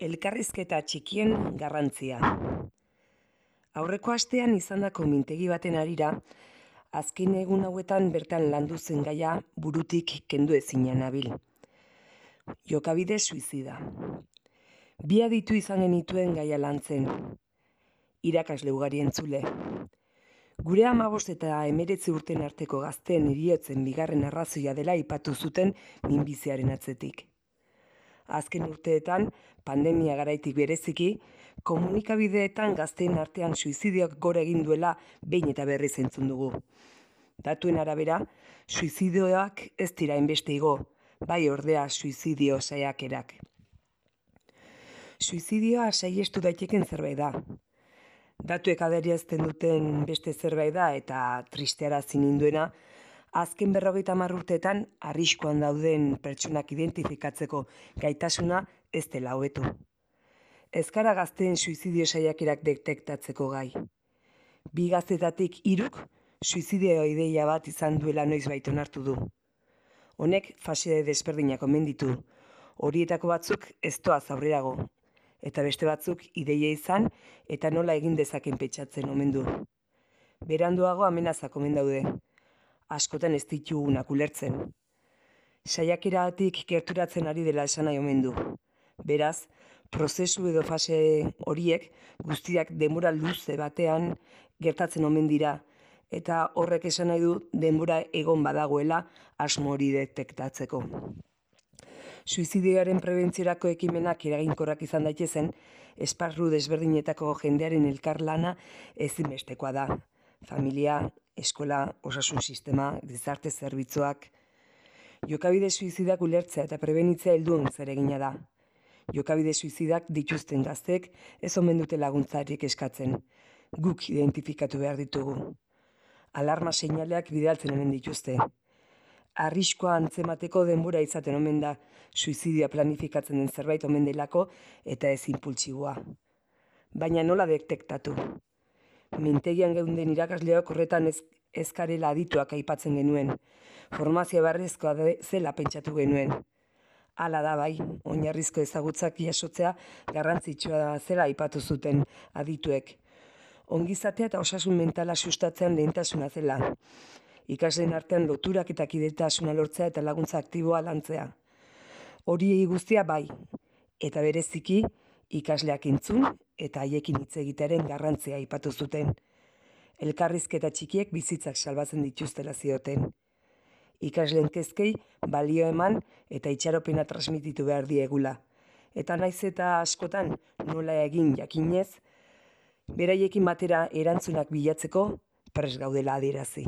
Elkarrizketa txikien garrantzia. Aurreko astean izandako mintegi baten harira, azken egun hauetan bertan landu zen gaia burutik kendu ezina nabil. Jokabide suizida. Bi aditu izan genituen gaia lantzen. Irakasle ugari entzule. Gure 15 eta 19 urten arteko gazteen heriotzen bigarren arrazoia dela aipatu zuten minbiziaren atzetik. Azken urteetan, pandemia garaitik bereziki, komunikabideetan gazteen artean suizidioak gora egin duela behin eta berriz entzun dugu. Datuen arabera, suizidioak ez dira hainbeste igo, bai ordea suizidio saiakerak. Suizidioa saihestu daiteken zerbait da. Datuek adierazten duten beste zerbait da eta tristearazi ninduena, azken 50 urteetan arriskuan dauden pertsonak identifikatzeko gaitasuna ez dela hobetu. Ez gara gazteen suizidio saiakerak detektatzeko gai. 2 gaztetatik 3 suizidio ideia bat izan duela noizbait onartu du. Honek fase desberdinak omen ditu. Horietako batzuk ez doaz aurrerago, eta beste batzuk ideia izan eta nola egin dezaken pentsatzen omen du. Beranduago amenazak omen daude. Askotan ez ditugunak ulertzen. Saiakeratik gerturatzen ari dela esan nahi omen du. Beraz, prozesu edo fase horiek guztiak denbora luze batean gertatzen omen dira, eta horrek esan nahi du denbora egon badagoela asmo hori detektatzeko. Suizidioaren prebentziorako ekimenak eraginkorrak izan daitezen, esparru desberdinetako jendearen elkarlana ezinbestekoa da. Familia, eskola, osasun sistema, gizarte zerbitzuak. Jokabide suizidak ulertzea eta prebenitzea helduen zeregina da. Jokabide suizidak dituzten gaztek ez omen dute laguntzarik eskatzen. Guk identifikatu behar ditugu. Alarma seinaleak bidaltzen omen dituzte. Arriskua antzemateko denbora izaten omen da, suizidioa planifikatzen den zerbait omen delako eta ez inpultsiboa. Baina nola detektatu? Mintegian geunden irakasleok horretan ez garela adituak aipatzen genuen. Formazio beharrezkoa zela pentsatu genuen. Hala da bai, oinarrizko ezagutzak jasotzea garrantzitsua zela aipatu zuten adituek. Ongizatea eta osasun mentala sustatzean lehentasuna zela. Ikasleen artean loturak eta kidetasuna lortzea eta laguntza aktiboa lantzea. Horiei guztia bai, eta bereziki ikasleak entzun eta haiekin hitz egitearen garrantzia aipatu zuten. Elkarrizketa txikiek bizitzak salbatzen dituztela zioten. Ikasleen kezkei balio eman eta itxaropena transmititu behar diegula. Eta naiz eta askotan nola egin jakinez, beraiekin batera erantzunak bilatzeko prest gaudela adierazi.